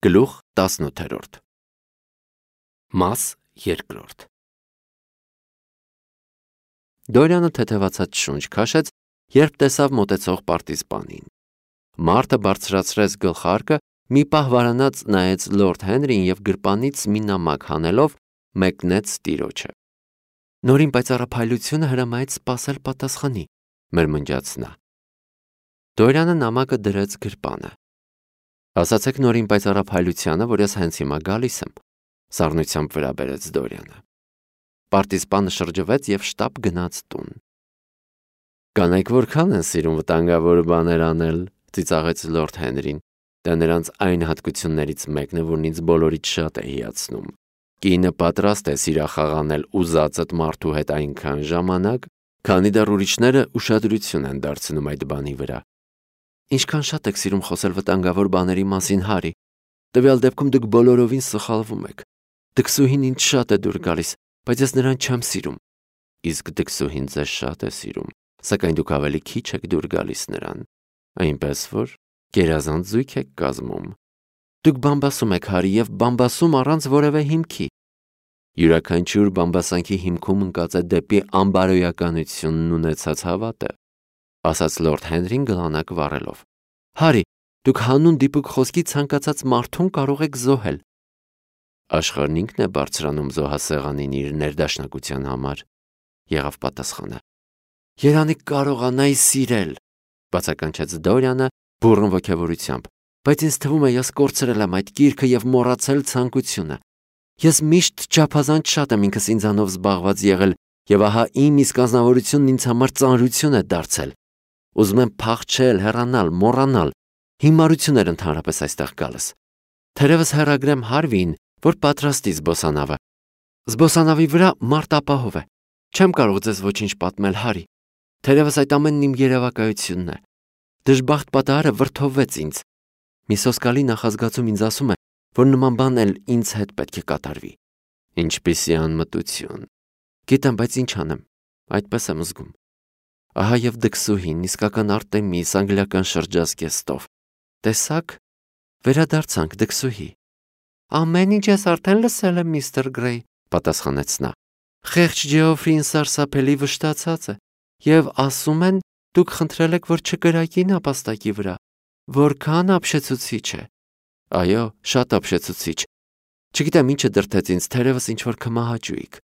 Գլուխ 18 Մաս 2 Դորյանը թեթևացած շունչ քաշեց, երբ տեսավ մոտեցող պարտիզպանին։ Մարդը բարձրացրեց գլխարկը, մի պահ վարանած նայեց լորդ Հենրին և գրպանից մի նամակ հանելով մեկնեց տիրոջը։ Նորին պայծառափայլությունը հրամայեց սպասել պատասխանի, մրմնջաց նա։ Դորյանը նամակը դրեց գրպանը։ Ասացեք նորին պայծառափայլությանը, որ ես հենց հիմա գալիս եմ, սառնությամբ վրա բերեց Դորյանը։ Պարտիզպանը շրջվեց և շտապ գնաց տուն։ Կանայք որքան են սիրում վտանգավոր բաներ անել, ծիծաղեց լորդ Հենրին, դա նրանց այն հատկություններից մեկն է, որն ինձ բոլորից շատ է հիացնում։ Կինը պատրաստ է սիրախաղ անել ուզածդ մարդու հետ այնքան ժամանակ, քանի դեռ ուրիշները ուշադրություն են դարձնում այդ բանի վրա։ Ինչքան շատ եք սիրում խոսել վտանգավոր բաների մասին, Հարի, տվյալ դեպքում դուք բոլորովին սխալվում եք։ Դքսուհին ինձ շատ է դուր գալիս, բայց ես նրան չեմ սիրում։ Իսկ դքսուհին ձեզ շատ է սիրում, սակայն դուք ավելի քիչ եք դուր գալիս նրան, այնպես որ գերազանց զույգ եք կազմում։ Դուք բամբասում եք, Հարի, և բամբասում առանց որևէ հիմքի։ Յուրաքանչյուր բամբասանքի հիմքում ընկած է դեպի անբարոյականությունն ունեցած հավատը, ասաց լորդ Հենրին գլանակ վառելով։ Հարի, դուք հանուն դիպուկ խոսքի ցանկացած մարդուն կարող եք զոհել։ Աշխարհն ինքն է բարձրանում զոհասեղանին իր ներդաշնակության համար, եղավ պատասխանը։ Երանի կարողանայի սիրել, բացականչեց Դորյանը բուռն ոգևորությամբ, բայց ինձ թվում է ես կորցրել եմ այդ գիրքը և մոռացել ցանկությունը։ Ես միշտ չափազանց շատ եմ ինքս ինձանով զբաղված եղել, և ահա իմ իսկ անձնավորությունն ինձ համար ծանրություն է դարձել։ Ուզում եմ փախչել, հեռանալ, մոռանալ։ Հիմարություն էր ընդհանրապես այստեղ գալս։ Թերևս հեռագրեմ Հարվիին, որ պատրաստի զբոսանավը։ Զբոսանավի վրա մարդ ապահով է։ Չեմ կարող ձեզ ոչինչ պատմել, Հարի։ Թերևս այդ ամենն իմ երևակայությունն է։ Դժբախտ պատահարը վրդովվեց ինձ։ Մի սոսկալի նախազգացում ինձ ասում է, որ նման բան էլ ինձ հետ պետք է կատարվի։ Ինչպիսի անմտություն։ Գիտեմ, բայց ինչ անեմ, այդպես եմ զգում։ Ահա և դքսուհին, իսկական Արտեմիս, անգլիական շրջազգեստով։ Տեսաք, վերադարձանք դքսուհի։ Ամեն ինչ ես արդեն լսել եմ, միստր Գրեյ, պատասխանեց նա։ Խեղճ Ջեոֆրին սարսափելի վշտացած է, և ասում են, դուք խնդրել եք, որ չկրակի նապաստակի վրա։ Որքան ապշեցուցիչ է։ Այո, շատ ապշեցուցիչ։ Չգիտեմ ինչը դրդեց ինձ, թերևս ինչ-որ քմահաճույք։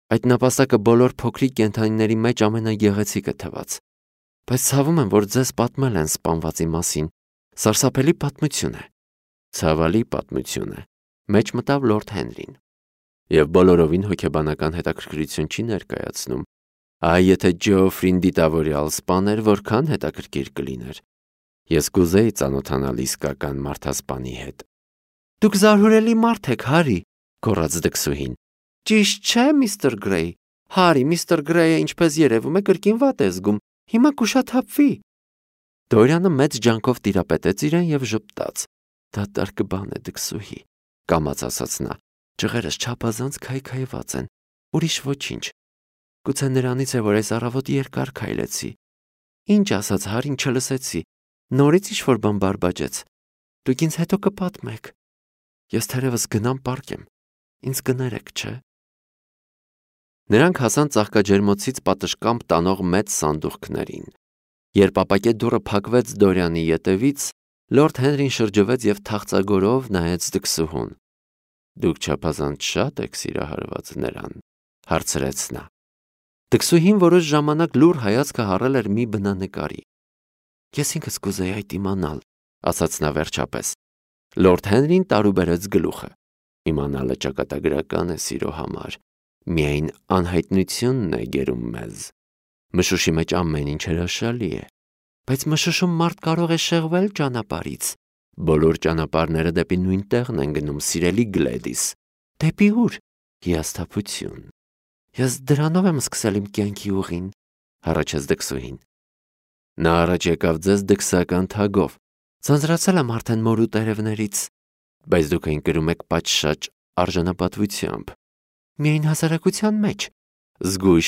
Այդ նապաստակը բոլոր փոքրիկ կենդանիների մեջ ամենագեղեցիկը թվաց։ Բայց ցավում եմ, որ ձեզ պատմել են սպանվածի մասին։ Սարսափելի պատմություն է։ Ցավալի պատմություն է, մեջ մտավ լորդ Հենրին։ Եվ բոլորովին հոգեբանական հետաքրքրություն չի ներկայացնում։ Այ եթե Ջեոֆրին դիտավորյալ սպաներ, որքան հետաքրքիր կլիներ։ Ես կուզեի ծանոթանալ իսկական մարդասպանի հետ։ Դուք զարհուրելի մարդ եք, Հարի, գոռաց դքսուհին։ Ճիշտ չէ, միստր Գրեյ։ Հարի, միստր Գրեյը, ինչպես երևում է, կրկին վատ է զգում։ Հիմա կուշաթափվի։ Դորյանը մեծ ջանքով տիրապետեց իրեն և ժպտաց։ Դատարկ բան է, դքսուհի, կամաց ասաց նա։ Ջղերս չափազանց քայքայված են, ուրիշ ոչինչ։ Գուցե նրանից է, որ այս առավոտ երկար քայլեցի։ Ինչ ասաց Հարին չլսեցի։ Նորից ինչ-որ բան բարբաջեց։ Դուք ինձ հետո կպատմեք։ Ես թերևս գնամ պարկեմ։ Ինձ կներեք, չէ՞։ Նրանք հասան ծաղկաջերմոցից պատշգամբ տանող մեծ սանդուղքներին։ Երբ ապակե դուռը փակվեց Դորյանի ետևից, լորդ Հենրին շրջվեց և թախծագորով նայեց դքսուհուն։ Դուք չափազանց շատ եք սիրահարված նրան, հարցրեց նա։ Դքսուհին որոշ ժամանակ լուռ հայացքը հառել էր մի բնանկարի։ Ես ինքս կուզեի այդ իմանալ, ասաց նա վերջապես։ Լորդ Հենրին տարուբերեց գլուխը։ Իմանալը ճակատագրական է սիրո համար։ Միայն անհայտնությունն է գերում մեզ։ Մշուշի մեջ ամեն ինչ հրաշալի է։ Բայց մշուշում մարդ կարող է շեղվել ճանապարհից։ Բոլոր ճանապարհները դեպի նույն տեղն են գնում, սիրելի Գլեդիս։ Դեպի ուր։ Հիասթափություն։ Ես դրանով եմ սկսել իմ կյանքի ուղին, հառաչեց դքսուհին։ Նա առաջ եկավ ձեզ դքսական թագով։ Ձանձրացել եմ արդեն մոր ու տերևներից, բայց դուք այն կրում եք պատշաճ արժանապատվությամբ։ Միայն հասարակության մեջ։ Զգույշ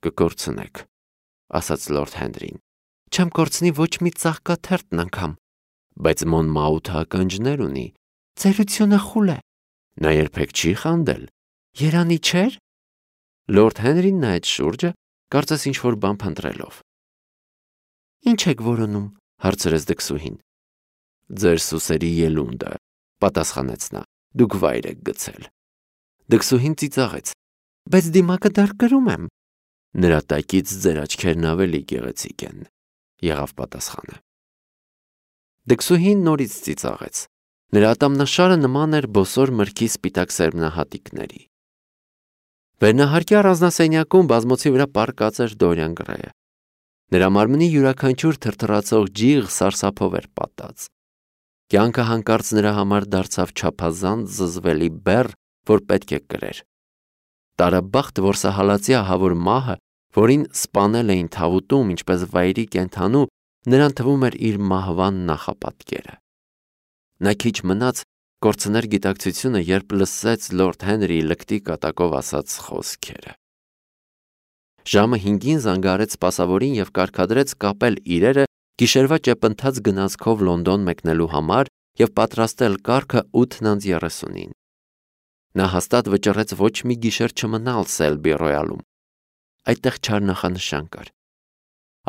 կկորցնեք, ասաց լորդ Հենրին։ Չեմ կորցնի ոչ մի ծաղկաթերթն անգամ։ Բայց Մոնմաութը ականջներ ունի, Ծերությունը խուլ է։ Նա երբեք չի խանդել։ Երանի չէր։ Լորդ Հենրին նայեց շուրջը, կարծես ինչ-որ բան փնտրելով։ Ինչ եք որոնում, հարցրեց դքսուհին։ Ձեր սուսերի ելունդը, պատասխանեց նա, դուք վայր եք գցել։ Դքսուհին ծիծաղեց։ Բայց դիմակը դեռ կրում եմ։ Նրա տակից ձեր աչքերն ավելի գեղեցիկ են, եղավ պատասխանը։ Դքսուհին նորից ծիծաղեց։ Նրա ատամնաշարը նման էր բոսոր մրգի սպիտակ սերմնահատիկների։ Վերնահարկի առանձնասենյակում բազմոցի վրա պառկած էր Դորիան Գրեյը։ Նրա մարմնի յուրաքանչյուր թրթռացող ջիղ սարսափով էր պատած։ Կյանքը հանկարծ նրա համար դարձավ չափազանց զզվելի բեռ, որ պետք է կրեր։ Տարաբախտ որսահալածի ահավոր մահը, որին սպանել էին թավուտում, ինչպես վայրի կենդանու, նրան թվում էր իր մահվան նախապատկերը։ Նա քիչ մնաց կորցներ գիտակցությունը, երբ լսեց Լորդ Հենրիի լկտի կատակով ասած խոսքերը։ Ժամը 5-ին զանգահարեց սպասավորին և կարգադրեց կապել իրերը գիշերվա ճեպընթաց գնացքով Լոնդոն մեկնելու համար և պատրաստել կառքը 8:30-ին։ Նա հաստատ վճռեց ոչ մի գիշեր չմնալ Սելբի Ռոյալում։ Այդտեղ չար նախանշան կար։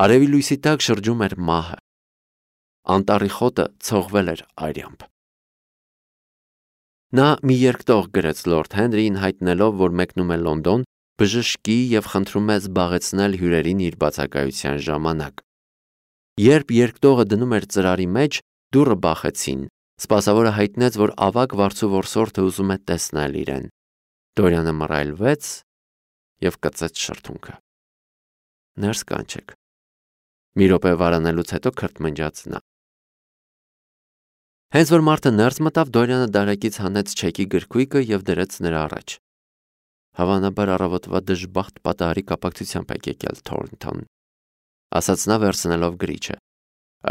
Արևի լույսի տակ շրջում էր մահը։ Անտառի խոտը ցողվել էր արյամբ։ Նա մի երկտող գրեց Լորդ Հենրիին, հայտնելով, որ մեկնում է Լոնդոն, բժշկի և խնդրում է զբաղեցնել հյուրերին իր բացակայության ժամանակ։ Երբ երկտողը դնում էր ծրարի մեջ, դուռը բախեցին։ Սպասավորը հայտնեց, որ ավագ վարձու որսորդը ուզում է տեսնել իրեն։ Դորյանը մռայլվեց և կծեց շրթունքը։ Ներս կանչեք։ Մի րոպե վարանելուց հետո քրթմնջաց նա։ Հենց որ մարդը ներս մտավ, Դորյանը դարակից հանեց չեկի գրքույկը և դրեց նրա առաջ։ Հավանաբար առավոտվա դժբախտ պատահարի կապակցությամբ եք եկել Թորնթոն, ասաց նա վերցնելով գրիչը։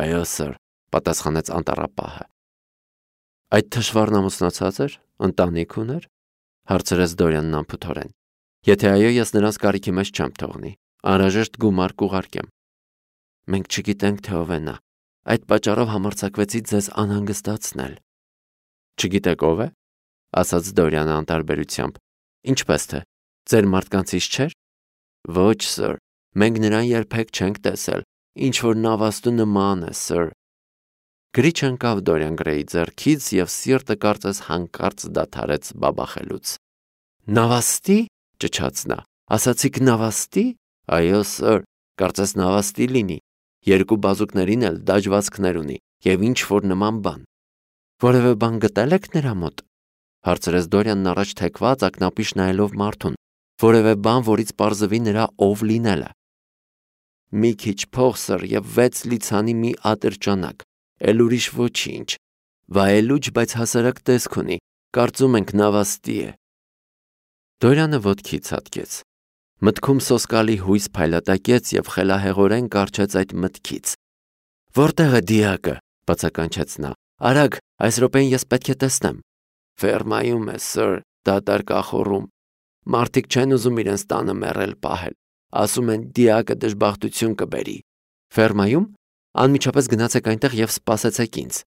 Այո, սըր, պատասխանեց անտառապահը։ Այդ թշվառն ամուսնացած էր, ընտանիք ուներ, հարցրեց Դորյանն անփութորեն։ Եթե այո, ես նրանց կարիքի մեջ չեմ թողնի, անհրաժեշտ գումար կուղարկեմ։ Մենք չգիտենք, թե ով է նա, այդ պատճառով համարձակվեցի ձեզ անհանգստացնել։ Չգիտեք ով է, ասաց Դորյանը անտարբերությամբ։ Ինչպես թե, ձեր մարդկանցից չէր։ Ոչ, սըր, մենք նրան երբեք չենք տեսել, ինչ որ նավաստու նման է, սըր։ Գրիչը ընկավ Դորյան Գրեյի ձեռքից և սիրտը կարծես հանկարծ դադարեց բաբախելուց։ Նավաստի, ճչաց նա, ասացիք նավաստի։ Այո, սըր, կարծես նավաստի լինի, երկու բազուկներին էլ դաջվածքներ ունի և ինչ որ նման բան։ Որևէ բան գտել եք նրա մոտ, հարցրեց Դորյանն առաջ թեքված ակնապիշ նայելով մարդուն, որևէ բան, որից պարզվի նրա ով լինելը։ Մի քիչ փող, սըր, և 6 լիցանի մի ատրճանակ, էլ ուրիշ ոչինչ։ Վայելուչ, բայց հասարակ տեսք ունի, կարծում ենք նավաստի է։ Դորյանը ոտքի ցատկեց։ Մտքում սոսկալի հույս փայլատակեց և խելահեղորեն կառչեց այդ մտքից։ Որտեղ է դիակը, բացականչեց նա։ Արագ, այս րոպեին ես պետք է տեսնեմ։ Ֆերմայում է, սըր, դատարկ ախոռում։ Մարդիկ չեն ուզում իրենց տանը մեռել պահել։ Ասում են դիակը դժբախտություն կբերի։ Ֆերմայում անմիջապես գնացեք այնտեղ և սպասեցեք ինձ։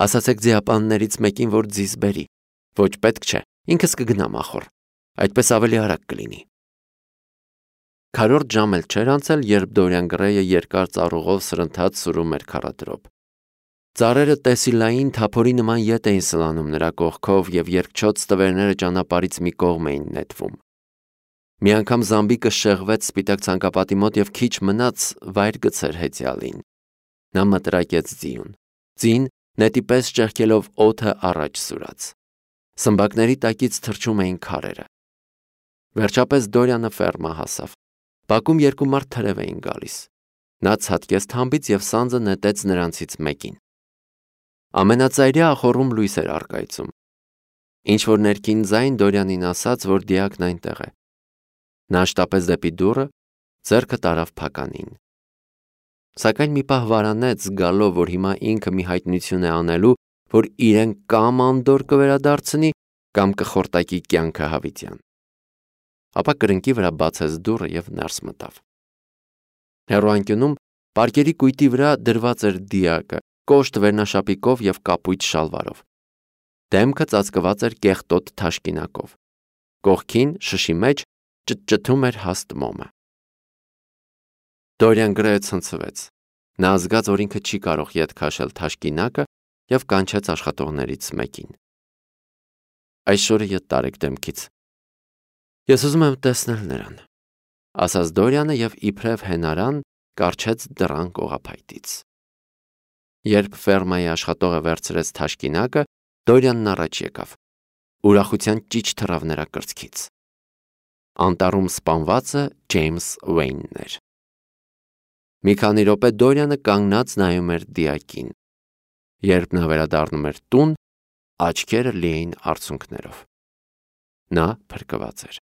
Ասացեք ձիապաններից մեկին, որ ձիզ բերի։ Ոչ պետք չէ, ինքս կգնամ ախոր։ Այդպես ավելի արագ կլինի։ Քառորդ ժամ էլ չէր անցել, երբ Դորյան Գրեյը երկար ծառուղով սրընթաց սուրում էր քառադրոբ։ Ծառերը տեսիլային թափորի նման ետ էին սլանում նրա կողքով և երկչոտ ստվերները ճանապարհից մի կողմ էին նետվում։ Մի անգամ զամբիկը շեղվեց սպիտակ ցանկապատի մոտ և քիչ մնաց վայր գցեր հեծյալին։ Նա մտրակեց ձիուն։ Ձին նետի պես ճեղքելով օդը առաջ սուրաց։ Սմբակների տակից թռչում էին քարերը։ Վերջապես Դորյանը ֆերմա հասավ։ Բակում երկու մարդ թրև էին գալիս։ Նա ցատկեց թամբից և սանձը նետեց նրանցից մեկին։ Ամենածայրյա ախոռում լույս էր առկայծում։ Ինչ-որ ներքին ձայն Դորյանին ասաց, որ դիակն այնտեղ է։ Նա շտապեց դեպի դուռը, ձեռքը տարավ փականին։ Սակայն մի պահ վարանեց, զգալով, որ հիմա ինքը մի հայտնություն է անելու, որ իրեն կամ անդորր կվերադարձնի, կամ կխորտակի կյանքը հավիտյան։ Ապա կրնկի վրա բացեց դուռը և ներս մտավ։ Հեռուանկյունում պարկերի կույտի վրա դրված էր դիակը, կոշտ վերնաշապիկով և կապույտ շալվարով։ Դեմքը ծածկված էր կեղտոտ թաշկինակով։ Կողքին շշի մեջ ճտճթում էր հաստ մոմը։ Դորիան գրեթե ցնցվեց։ Նա զգաց, որ ինքը չի կարող ետ քաշել թաշկինակը և կանչեց աշխատողներից մեկին։ Այս շորը ետ տարեք դեմքից։ Ես ուզում եմ տեսնել նրան, ասաց Դորիանը և իբրև հենարան կառչեց դռան կողափայտից։ Երբ ֆերմայի աշխատողը վերցրեց թաշկինակը, Դորիանն առաջ եկավ։ Ուրախության ճիչ թռավ նրա կրծքից։ Անտառում սպանվածը Ջեյմս Ուեյնն էր։ Մի քանի րոպե Դորիանը կանգնած նայում էր դիակին։ Երբ նա վերադառնում էր տուն, աչքերը լի էին արցունքներով։ Նա փրկված էր։